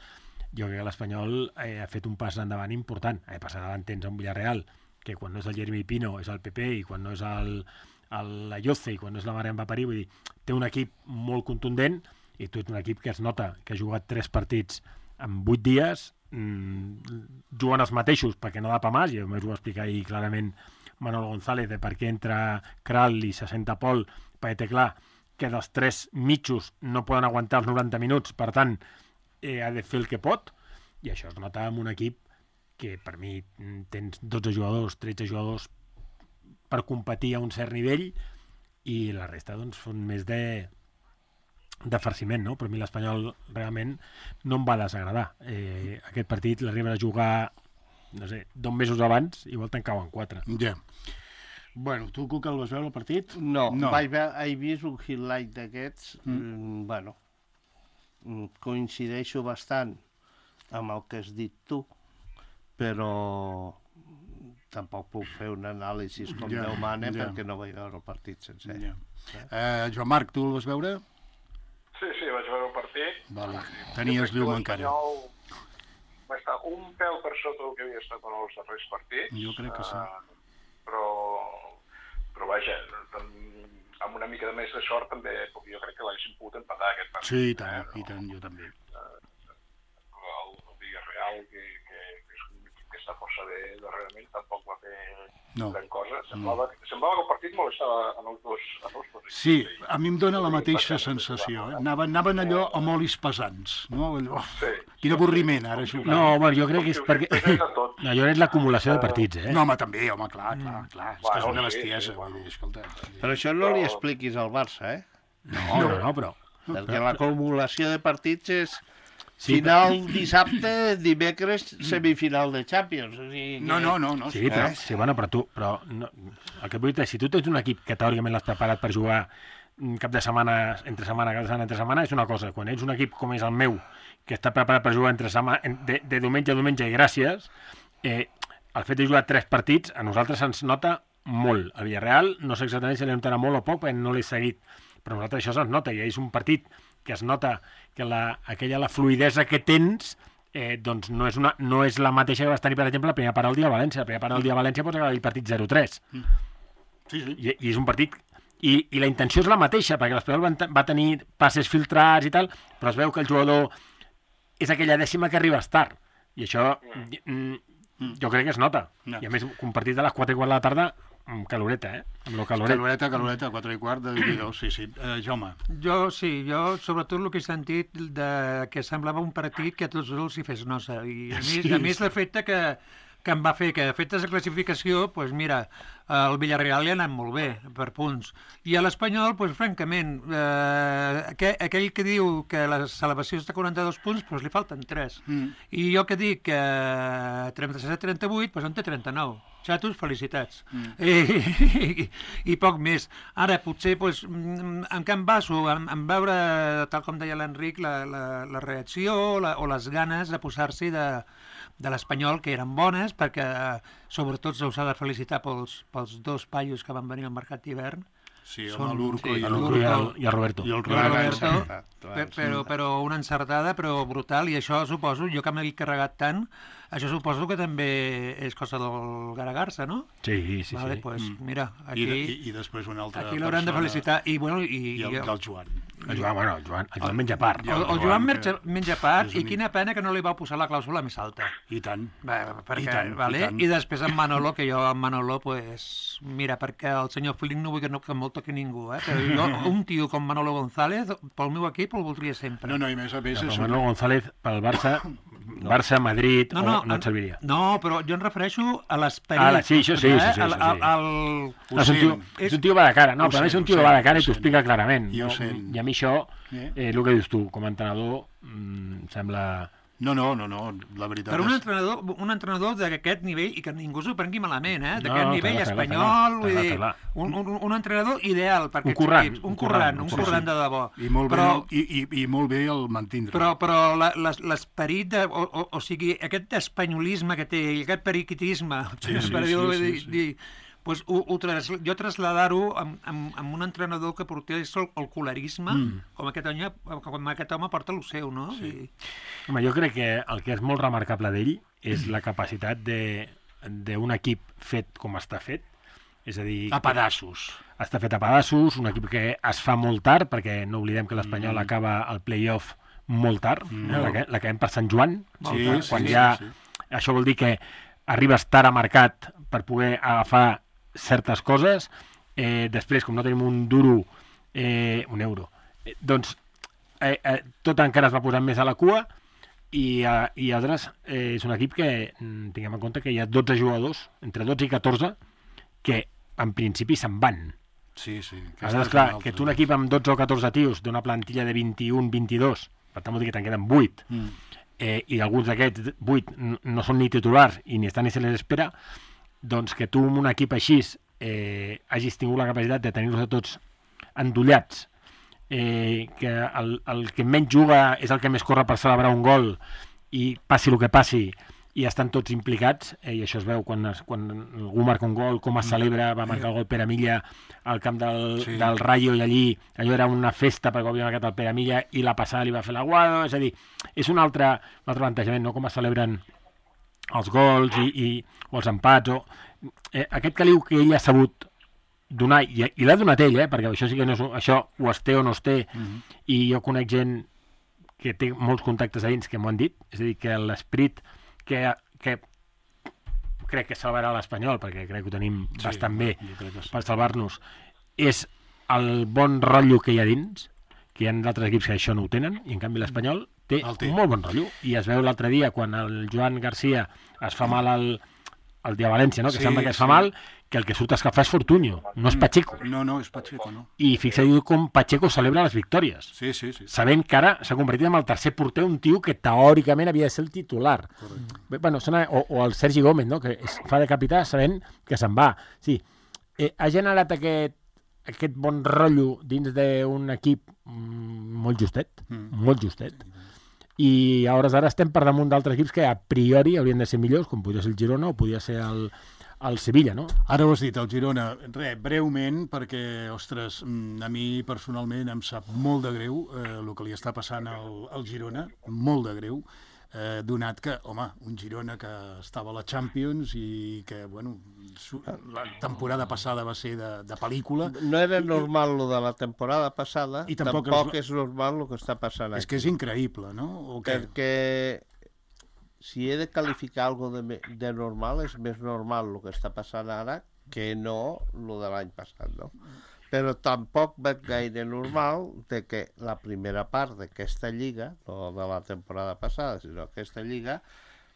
jo crec que l'Espanyol ha fet un pas endavant important. Passar davant tens un Villarreal, que quan no és el Jeremy Pino és el PP, i quan no és l'Ayoce, i quan no és la Marian Vaparí, vull dir, té un equip molt contundent, i tu ets un equip que es nota que ha jugat 3 partits en 8 dies, juguen els mateixos perquè no da pa més, i només ho va explicar ahir clarament Manolo González de per què entra Kral i se senta Pol, perquè té clar que dels 3 mitjos no poden aguantar els 90 minuts, per tant ha de fer el que pot, i això es nota en un equip que per mi tens 12 jugadors, 13 jugadors per competir a un cert nivell, i la resta doncs són més de farciment, no? Però a mi l'Espanyol realment no em va desagradar. Aquest partit l'arriben a jugar, no sé, 2 mesos abans, igual te'n cauen 4. Ja. Bueno, tu, Cuca, el vas veure el partit? No. He vist un highlight d'aquests. Bueno, coincideixo bastant amb el que has dit tu, però tampoc puc fer un anàlisi com Déu mana perquè no vaig veure el partit sencer. Joan Marc, tu el vas veure? Sí, vaig veure el partit. Vale. Tenies llum encara. Va estar un pèl per sota del que havia estat en els darrers partits. Jo crec que sí. Però vaja, amb una mica de més de sort també, jo crec que l'haguessin pogut empatar aquest partit. Sí, i tant, jo també. El Villarreal, que és un equip que està força bé darrerament, tampoc va fer gran cosa. Semblava que el partit molestava en els dos. Sí, a mi em dóna la mateixa sensació. Anaven allò amb olis pesants. No? Quin avorriment, ara jugar. No, home, jo crec que és perquè... No, jo crec l'acumulació de partits, No, home, també, clar. És que és una bestiesa, vull dir, escolta. Però això no li expliquis al Barça, No, però... Perquè l'acumulació de partits és... Final dissabte, dimecres, semifinal de Champions. O sigui que... No. Sí, però tu... El que vull dir és, si tu tens un equip que teòricament l'has preparat per jugar cap de setmana, entre setmana, és una cosa. Quan ets un equip com és el meu, que està preparat per jugar de diumenge a diumenge, i gràcies, el fet de jugar 3 partits, a nosaltres ens nota molt. El Villarreal, no sé exactament si li notarà molt o poc, perquè no l'he seguit, però a nosaltres això se'ns nota, i és un partit que es nota que la fluidesa que tens doncs no és la mateixa que vas tenir, per exemple, la primera part del dia a València. La primera part del dia a València pots acabar el partit 0-3. Sí. I és un partit... I la intenció és la mateixa, perquè l'Espanyol va tenir passes filtrats i tal, però es veu que el jugador és aquella dècima que arribes tard. I això jo crec que es nota. I a més, un partit de les 4:15 de la tarda, amb caloreta, Amb lo caloreta, 4:15 de 2, sí. Jaume. Jo sobretot el que he sentit que semblava un partit que a tots els hi fes nosa. I a més l'efecte que em va fer, que a efectes de classificació, doncs mira, el Villarreal li ha anat molt bé, per punts. I a l'Espanyol, doncs francament, aquell que diu que la salvació està a 42 punts, doncs li falten 3. I jo que dic que 37-38, doncs en té 39. Xatos, felicitats. I poc més. Ara, potser, en què em baso? En veure, tal com deia l'Enric, la reacció o les ganes de posar-s'hi de l'Espanyol, que eren bones, perquè sobretot s'ha de felicitar pels 2 paios que van venir al mercat d'hivern. Sí, l'Urco i el Roberto. Però una encertada, però brutal, i això suposo, jo que m'he carregat tant, això suposo que també és cosa del Garagarsa, no? Sí. Vale, pues, mira, aquí... I després una altra aquí l'hauran de felicitar. I el Joan. El Joan menja part. El Joan menja part, i quina pena que no li va posar la clàusula més alta. I tant. I després en Manolo, que jo en Manolo, pues, mira, perquè el senyor Flynn no vull que me'l toqui ningú, però jo, un tio com Manolo González, pel meu equip el voldria sempre. No, i més a més... Manolo González, pel Barça, Madrid, no et serviria. No, però jo em refereixo a l'esperit. Sí, això sí. És un tio va de cara, no, però és un tio va de cara i t'ho explica clarament. I a mi això, el que dius tu, com a entrenador, sembla... No, la veritat però un entrenador d'aquest nivell, i que ningú s'ho prengui malament, d'aquest nivell espanyol, vull dir, un entrenador ideal per aquests equips, un currant de debò. I molt bé el mantindre. Però l'esperit, o sigui, aquest espanyolisme que té, i aquest periquitisme, per dir, pues, jo traslladar-ho amb un entrenador que portés el colarisme, com aquest home porta el seu, no? Sí. Home, jo crec que el que és molt remarcable d'ell és la capacitat d'un equip fet com està fet, és a dir... A pedassos. Està fet a pedassos, un equip que es fa molt tard, perquè no oblidem que l'Espanyol acaba el play-off molt tard, l'acabem per Sant Joan, quan ja... Això vol dir que arribes tard a mercat per poder agafar certes coses, després, com no tenim un duro, un euro, doncs tot encara es va posant més a la cua i altres, és un equip que tinguem en compte que hi ha 12 jugadors, entre 12 i 14, que en principi se'n van. Sí. Aleshores, clar, que tu un equip amb 12 o 14 tios d'una plantilla de 21-22, per tant vol dir que te'n queden 8, i alguns d'aquests 8 no són ni titulars i ni estan ni se les espera, doncs que tu amb un equip així hagis tingut la capacitat de tenir-los tots endollats, que el que menys juga és el que més corre per celebrar un gol i passi el que passi i estan tots implicats, i això es veu quan algú marca un gol, com es celebra, va marcar el gol Pere Milla al camp del Rayo, i allí allò era una festa perquè havia marcat el Pere Milla i la passada li va fer l'aguado, és a dir, és un altre plantejament, no? Com es celebren els gols o els empats, aquest caliu que ell ha sabut donar, i l'ha donat ell, perquè això sí que no és, això ho es té o no es té, i jo conec gent que té molts contactes a dins que m'ho han dit, és a dir, que l'esperit que crec que salvarà l'Espanyol, perquè crec que ho tenim bastant bé per salvar-nos, és el bon rotllo que hi ha dins, que hi ha d'altres equips que això no ho tenen, i en canvi l'Espanyol té un molt bon rotllo, i es veu l'altre dia quan el Joan Garcia es fa mal al dia València, no? Que sembla que es fa mal, que el que surt a escalfar és Fortuño, no és Pacheco. No, és Pacheco, no. I fixeu com Pacheco celebra les victòries. Sí. Sabent que ara s'ha convertit en el tercer porter, un tio que teòricament havia de ser el titular. Bueno, o el Sergi Gómez, no? Que fa de capità sabent que se'n va. Sí, ha generat aquest bon rotllo dins d'un equip molt justet, i a hores d'ara estem per damunt d'altres equips que a priori haurien de ser millors, com podria ser el Girona o podria ser el Sevilla, no? Ara ho has dit, el Girona. Breument, perquè, ostres, a mi personalment em sap molt de greu el que li està passant al Girona, molt de greu, donat que, home, un Girona que estava a la Champions i que, bueno, la temporada passada va ser de pel·lícula. No era normal lo de la temporada passada, i tampoc és normal el que està passant aquí. És que és increïble, no? Perquè si he de qualificar algo de normal, és més normal el que està passant ara que no el de l'any passat, no? Però tampoc veig gaire normal de que la primera part d'aquesta lliga, no de la temporada passada, sinó aquesta lliga,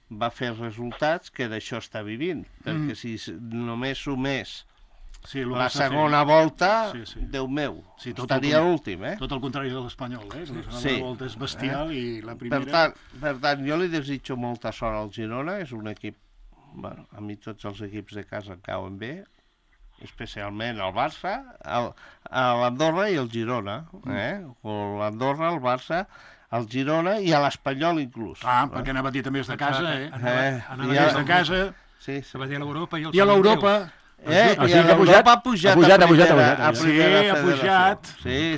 va fer resultats que d'això està vivint. Perquè si només sumés la segona volta, Déu meu, estaria l'últim, Tot el contrari de l'Espanyol, La segona volta és bestial i la primera... Per tant, jo li desitjo molta sort al Girona, és un equip... Bueno, a mi tots els equips de casa em cauen bé, especialment el Barça, l'Andorra i el Girona, l'Andorra, el Barça, el Girona i a l'Espanyol inclús. Perquè anava a dir també és de casa, és de casa. Sí, se va dir a l'Europa i a l'Europa. I l'Europa ha pujat a primera federació.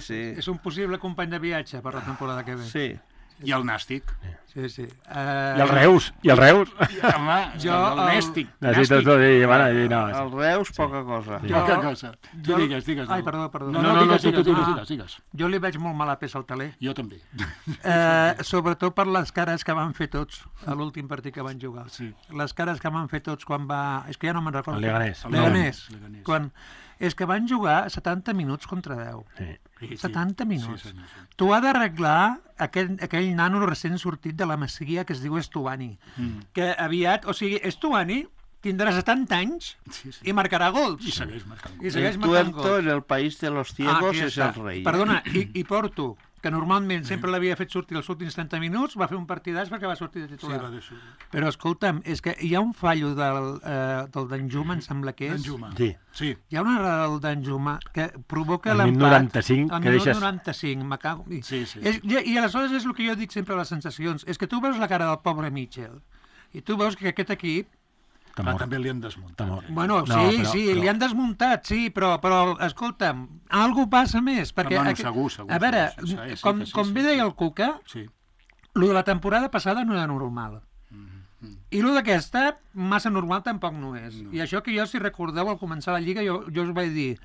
Sí. És un possible company de viatge per la temporada que ve. Sí. I el Nàstic. Sí, sí. I el Reus. Home, Jo, el Nàstic. Necessites tot dir, no. El Reus, poca cosa. Poca cosa. Tu digues. Ai, perdó. No, digues. Jo li veig molt mala peça al taler. Jo també. Sobretot per les cares que van fer tots a l'últim partit que van jugar. Sí. Les cares que van fer tots quan va... És que ja no me'n recordo. El Leganés. Leganés. És que van jugar 70 minuts contra 10. Sí. 70 minuts. Sí. Tu has d'arreglar aquell nano recent sortit de la Masia que es diu Estuani. Que aviat... O sigui, Estuani tindrà 70 anys i marcarà gols. I segueix marcant gols. I segueix marcant Tuerto en el país de los ciegos és el rei. Perdona, i Porto, que normalment sempre l'havia fet sortir els últims 30 minuts, va fer un partidàs perquè va sortir de titular. Però escolta'm, és que hi ha un fallo del Danjuma, em sembla que és. Sí. Hi ha una errada del Danjuma que provoca el l'empat. 95, el que deixes... 95, me cago... Sí. I aleshores és el que jo dic sempre a les sensacions, és que tu veus la cara del pobre Mitchell i tu veus que aquest equip també li han desmuntat. Bueno, sí, li han desmuntat, sí, però escolta'm, algú passa més. Perquè, segur. A veure, com bé deia el Cuca, lo de la temporada passada no era normal. I lo d'aquesta, massa normal tampoc no és. I això que jo, si recordeu, al començar la Lliga, jo us vaig dir,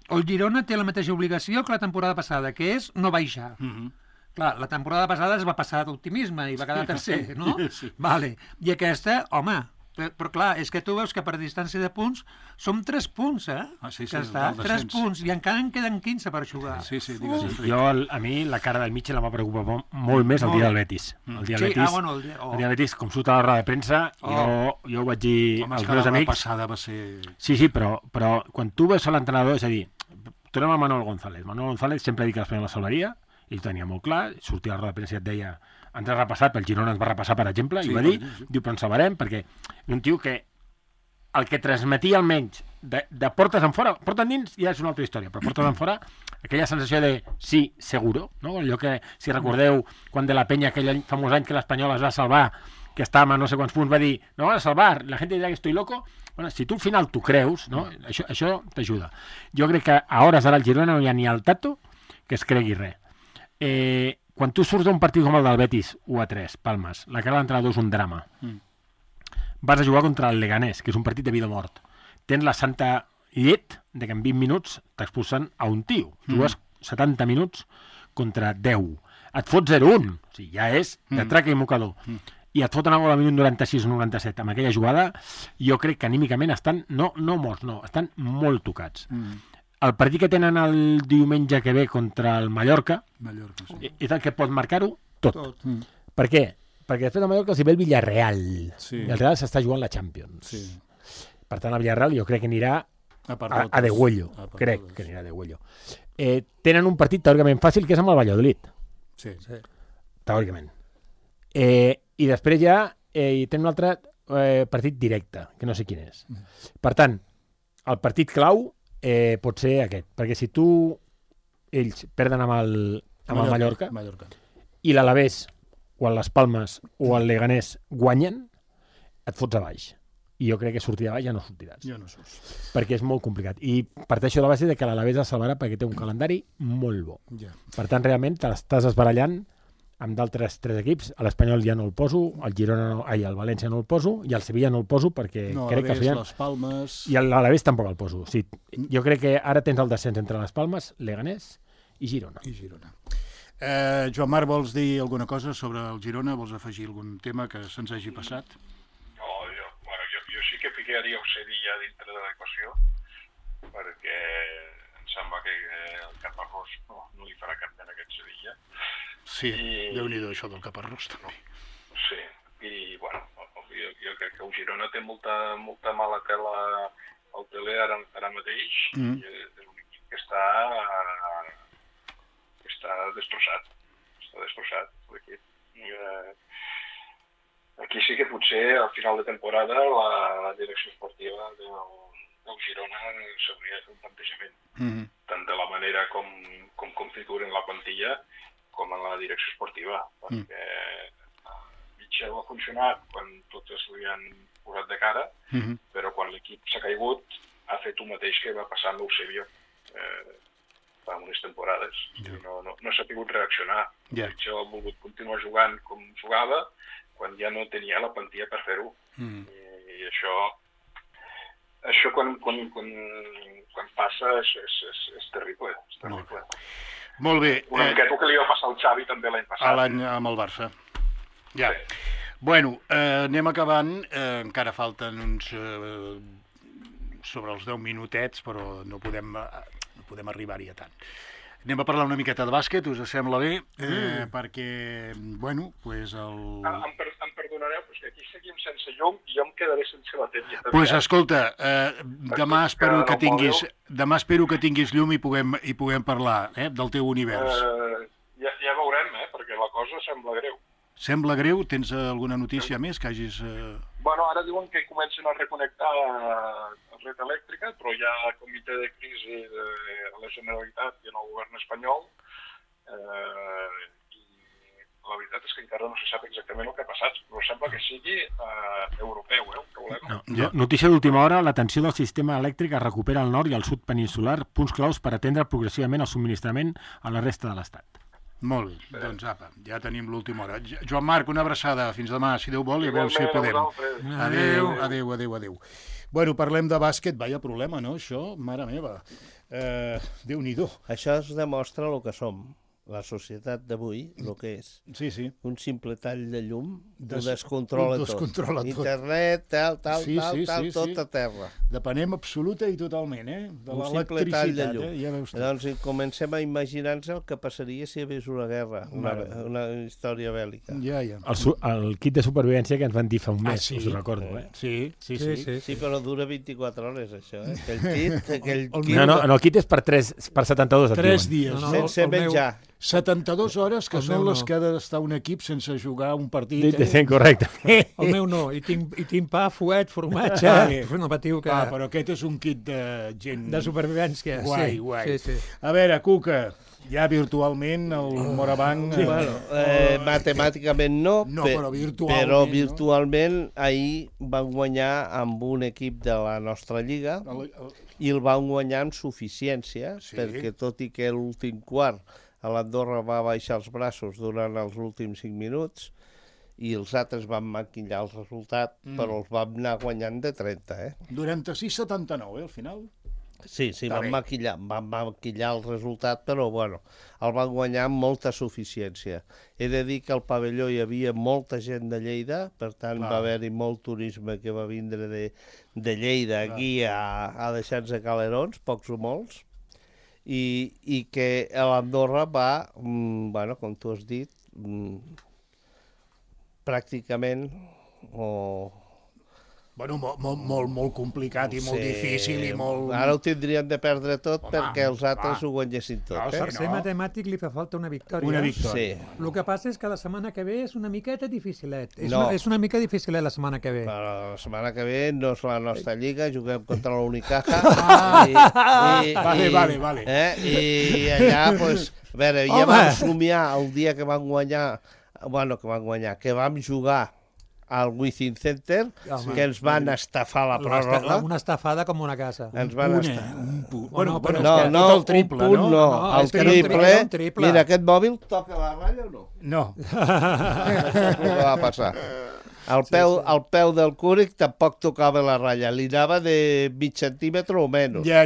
el Girona té la mateixa obligació que la temporada passada, que és no baixar. Clar, la temporada passada es va passar d'optimisme i va quedar tercer, no? Vale. I aquesta, home... Però clar, és que tu veus que per distància de punts som 3 punts, que està, 3 punts, i encara en queden 15 per jugar. Sí, digues. Jo, a mi, la cara del Mitchell em va preocupar molt més el dia del Betis. El dia del Betis, com surt a la roda de premsa, jo ho vaig dir als meus amics... La passada va ser... Sí, però quan tu veus a l'entrenador, és a dir, tornem a Manuel González. Manuel González sempre ha dit que l'Espanyol la salvaria, i ho tenia molt clar, sortia a la roda de premsa i et deia... Ens ha repassat, el Girona ens va repassar, per exemple, i va dir, diu, però ens salvarem, perquè un tio que el que transmetia almenys de portes en fora, porta endins ja és una altra història, però portes en fora, aquella sensació de sí, seguro, no? Allò que, si recordeu, quan de la Penya, aquell any, famós any que l'Espanyol es va salvar, que estava a no sé quants punts, va dir, no van a salvar, la gent dirà que estoy loco. Bueno, si tu al final t'ho creus, no? Això t'ajuda. Jo crec que a hores d'ara al Girona no hi ha ni el Tato que es cregui res. Quan tu surts d'un partit com el del Betis 1-3, Palmes, la cara de l'entrenador és un drama. Vas a jugar contra el Leganés, que és un partit de vida o mort. Tens la santa llet de que en 20 minuts t'expulsen a un tio. Jugues 70 minuts contra 10. Et fots 0-1. O sigui, ja és de traca i mocador. I et foten a gol al minut 96 o 97. Amb aquella jugada, jo crec que anímicament estan, no morts, no, estan molt tocats. El partit que tenen el diumenge que ve contra el Mallorca és el que pot marcar-ho tot. Per què? Perquè després del Mallorca els hi ve el Villarreal. I el Real s'està jugant la Champions. Per tant, el Villarreal jo crec que anirà a degüello. Crec que anirà a degüello. Tenen un partit teòricament fàcil que és amb el Valladolid. Teòricament. I després ja tenen un altre partit directe, que no sé quin és. Per tant, el partit clau pot ser aquest, perquè si ells perden amb el Mallorca i l'Alavés o el Las Palmes o el Leganés guanyen, et fots a baix. I jo crec que sortir a baix ja no sortiràs. Perquè és molt complicat. I parteixo de la base de que l'Alavés es salvarà perquè té un calendari molt bo. Per tant, realment, te l'estàs esbarallant amb d'altres 3 equips. A l'Espanyol ja no el poso, el València no el poso, i el Sevilla no el poso perquè crec que les Palmes... I l'Alavés tampoc el poso. Sí, jo crec que ara tens el descens entre les Palmes, Leganés i Girona. Joan Marc, vols dir alguna cosa sobre el Girona? Vols afegir algun tema que se'ns hagi passat? No, jo sí que ficaria el Sevilla dintre de l'equació, perquè em sembla que el Caparrós no li farà cap en aquest Sevilla. Sí, Déu-n'hi-do això del Caparrós també. Sí, i bueno, jo crec que el Girona té molta mala tela al teler ara mateix, i és un equip que està destrossat. Està destrossat l'equip. Aquí sí que potser al final de temporada la direcció esportiva del Girona s'hauria de fer un plantejament, tant de la manera com configuren la plantilla com en la direcció esportiva, perquè Mitchell ha funcionat quan totes li han posat de cara, però quan l'equip s'ha caigut ha fet el mateix que va passar amb l'Eusebio fa unes temporades. No s'ha pogut reaccionar. Jo he volgut continuar jugant com jugava quan ja no tenia la plantilla per fer-ho. I això quan passa és terrible. És terrible. Molt bé. Una miqueta el que li va passar al Xavi també l'any passat. L'any amb el Barça. Ja. Bueno, anem acabant. Encara falten uns... sobre els 10 minutets, però no podem arribar-hi a tant. Anem a parlar una miqueta de bàsquet, us sembla bé? Perquè, bueno, doncs el... Em perdonareu, però és que aquí seguim sense llum i jo em quedaré sense bateria. Doncs escolta, demà espero que tinguis llum i puguem parlar del teu univers. Ja veurem, perquè la cosa sembla greu. Sembla greu? Tens alguna notícia més que hagis... Bueno, ara diuen que comencen a reconnectar la red elèctrica, però hi ha comitè de crisi de la Generalitat i en el govern espanyol, i la veritat és que encara no se sap exactament el que ha passat, però sembla que sigui europeu, el problema. Notícia d'última hora, la tensió del sistema elèctric es recupera al nord i al sud peninsular, punts claus per atendre progressivament el subministrament a la resta de l'Estat. Molt bé, doncs apa, ja tenim l'última hora. Joan Marc, una abraçada, fins demà, si Déu vol, i a veure si podem. Adéu. Bueno, parlem de bàsquet, vaya problema, no, això? Mare meva, Déu-n'hi-do. Això es demostra el que som, la societat d'avui, el que és. Sí. Un simple tall de llum ho descontrola tot. Internet, tal, tot a terra. Depenem absoluta i totalment, de un simple tall de llum. Ja veus tu. Doncs comencem a imaginar-nos el que passaria si hi hagués una guerra, una història bèl·lica. Ja. El kit de supervivència que ens van dir fa un mes, us ho recordo. Sí, però dura 24 hores, això. Aquell kit... No, el kit és per 72, 3 dies. Sense menjar. 72 hores, que són les que ha d'estar un equip sense jugar un partit. Correcte. El meu no, i tinc pa, fuet, formatge... No patiu que... Però aquest és un kit de gent... De supervivència. Guai. Sí. A veure, Cuca, ja virtualment el Morabanc... Matemàticament no, però virtualment ahir van guanyar amb un equip de la nostra lliga i el van guanyar amb suficiència, perquè tot i que l'últim quart a l'Andorra va baixar els braços durant els últims 5 minuts i els altres van maquillar el resultat, però els vam anar guanyant de 30, 96-79, al final? Sí, van maquillar el resultat, però bueno, el van guanyar amb molta suficiència. He de dir que al pavelló hi havia molta gent de Lleida, per tant va haver-hi molt turisme que va vindre de Lleida aquí a deixar-nos a Calerons, pocs o molts, i que l'Andorra va, com tu has dit, pràcticament molt complicat i molt difícil i molt... Ara ho tindrien de perdre tot perquè els altres ho guanyessin tot. Per ser matemàtic li fa falta una victòria. Sí. El que passa és que la setmana que ve és una miqueta dificilet. És una mica dificilet la setmana que ve. Però la setmana que ve no és la nostra lliga, juguem contra la Unicaja. Vale. I allà, doncs, a veure, ja vam somiar el dia que vam guanyar, que vam jugar al Wizzing Center, que ens van estafar la pròrroga. Una estafada com una casa. Ens van estafar. No, el triple, no? El triple. Mira, aquest mòbil toca la ratlla o no? No. Això és el que va passar. Al peu del Cúric tampoc tocava la ratlla, li anava de mig centímetre o menys. Ja.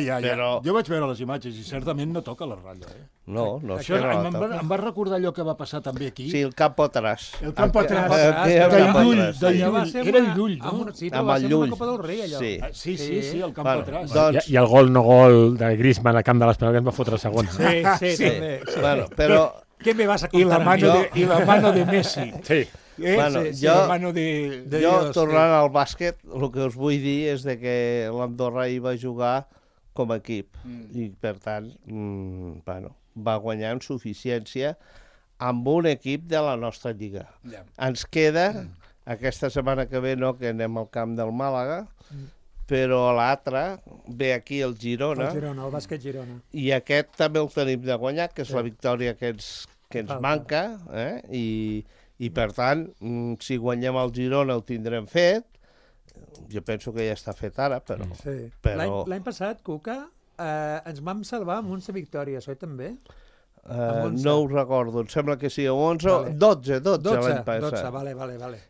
Jo vaig veure les imatges i certament no toca la ratlla. No, això em va recordar allò que va passar també aquí. Sí, el campo atràs. El campo atràs. Era el Llull, no? Sí, però va ser una Copa del Rei, allò. Sí, el campo atràs. I el gol de Griezmann al camp de l'Espanyol que ens va fotre el segon. Sí, també. Però... Què me vas a contar? I la mano de Messi. Sí. Jo, tornant al bàsquet, el que us vull dir és que l'Andorra hi va jugar com a equip i, per tant, va guanyar amb suficiència amb un equip de la nostra lliga. Ens queda, aquesta setmana que ve no, que anem al camp del Màlaga, però l'altre ve aquí el Girona. El bàsquet Girona. I aquest també el tenim de guanyar, que és la victòria que ens manca, i per tant, si guanyem el Girona ho tindrem fet. Jo penso que ja està fet ara, però... L'any passat, Cuca, ens vam salvar amb 11 victòries, oi també? No ho recordo, em sembla que sí, 11, vale. 12 l'any passat. 12, vale.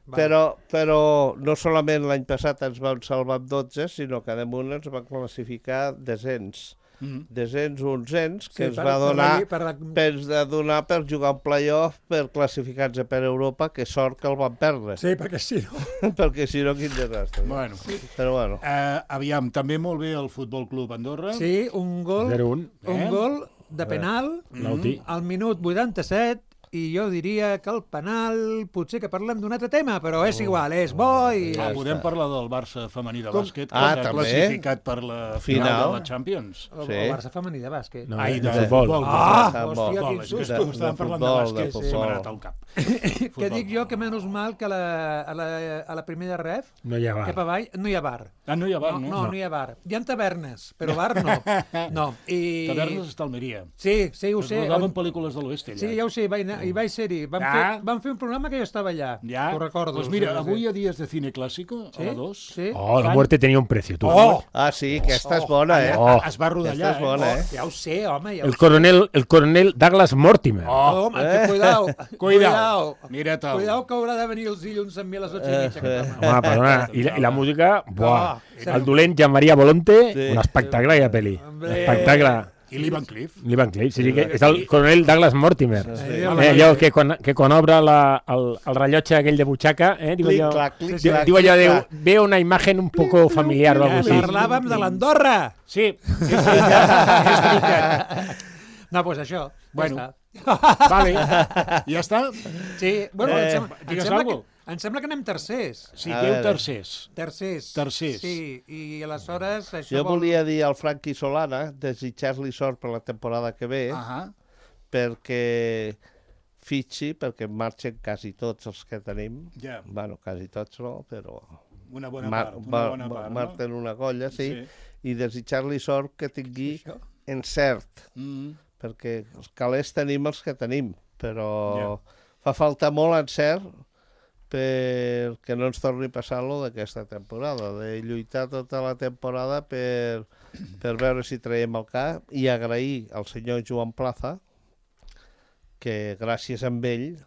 Però no solament l'any passat ens vam salvar amb 12, sinó que damunt ens van classificar descens. Descens o onzens, que ens va donar per jugar un play-off per classificar-se per Europa, que sort que el van perdre. Sí, perquè si no... perquè si no, quin desastre. Bueno. Però bueno. Aviam, també molt bé el Futbol Club Andorra. Sí, un gol de penal al minut 87, i jo diria que el penal potser que parlem d'un altre tema, però és igual, és bo i... Podem parlar del Barça femení de bàsquet, que ha classificat per la final de la Champions. El Barça femení de bàsquet. De futbol. Hòstia, quin susto. Estàvem parlant de bàsquet, se m'ha anat al cap. Que dic jo que menys mal que a la primera ref, no hi ha bar. cap avall, no hi ha bar. No hi ha bar, no? No hi ha bar. Hi ha tavernes, però bar no. Tavernes està a Almeria. Sí, ho sé. Es rodaven pel·lícules de l'oest, allà. Sí, ja ho sé, hi vaig ser-hi. Vam fer un programa que jo estava allà. Ho recordo. Pues mira, avui a Dies de Cine Clásico, a la 2... La muerte tenía un precio. Ah, sí, aquesta és bona, Es va rodar allà, és bona, Ja ho sé, home. El coronel Douglas Mortimer. Home, cuidao. Mira tal. Cuidao que haurà de venir els dilluns amb mi a les 8:30. Home, perdona. I la música, buah. El dolent Jean-Maria Volonte, un espectacle aquella pel·li. Espectacle. I l'Ivan Cliff. Sí, que és el coronel Douglas Mortimer. Allò que quan obre el rellotge aquell de butxaca, diu allò, veo una imagen un poco familiar o algo así. Parlàvem de l'Andorra. Sí, és veritat. No, doncs això. Bueno, vale. Ja està? Sí, bueno, em sembla que anem tercers. Sí, deu tercers. Tercers. Sí, i aleshores... Jo volia dir al Franqui Solana, desitjar-li sort per la temporada que ve, perquè fitxi, perquè marxen quasi tots els que tenim. Bueno, quasi tots no, però... Una bona part. Marten una colla, sí. I desitjar-li sort que tingui encert, perquè els calés tenim els que tenim, però fa falta molt encert perquè no ens torni a passar lo d'aquesta temporada, de lluitar tota la temporada per veure si traiem el cap i agrair al senyor Joan Plaza que gràcies a ell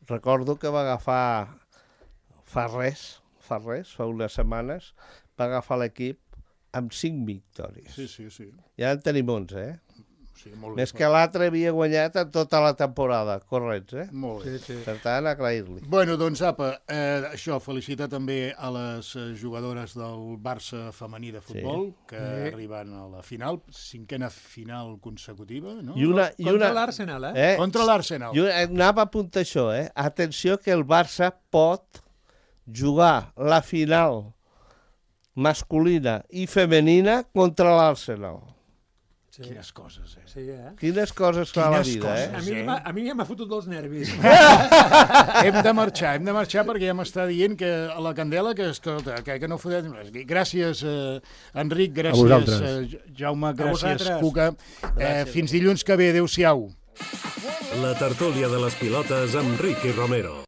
recordo que va agafar fa unes setmanes va agafar l'equip amb 5 victòries. Sí. Ja en tenim 11, Sí, molt més que l'altre havia guanyat en tota la temporada, correcte, Molt bé. Sí. Per tant, agrair-li. Bueno, doncs, apa, això, felicitar també a les jugadores del Barça femení de futbol, que arriben a la final, 5a final consecutiva, no? Contra l'Arsenal, Contra l'Arsenal. Jo anava a apuntar això, Atenció que el Barça pot jugar la final masculina i femenina contra l'Arsenal. Quines coses, Sí, Quines coses fa la vida, A mi ja m'ha fotut dels nervis. Hem de marxar perquè ja m'està dient que a la candela que no fotem... Gràcies, Enric, gràcies, Jaume, gràcies, Cuca. Fins dilluns que ve, adéu-siau. La tertúlia de les pilotes amb Ricky Romero.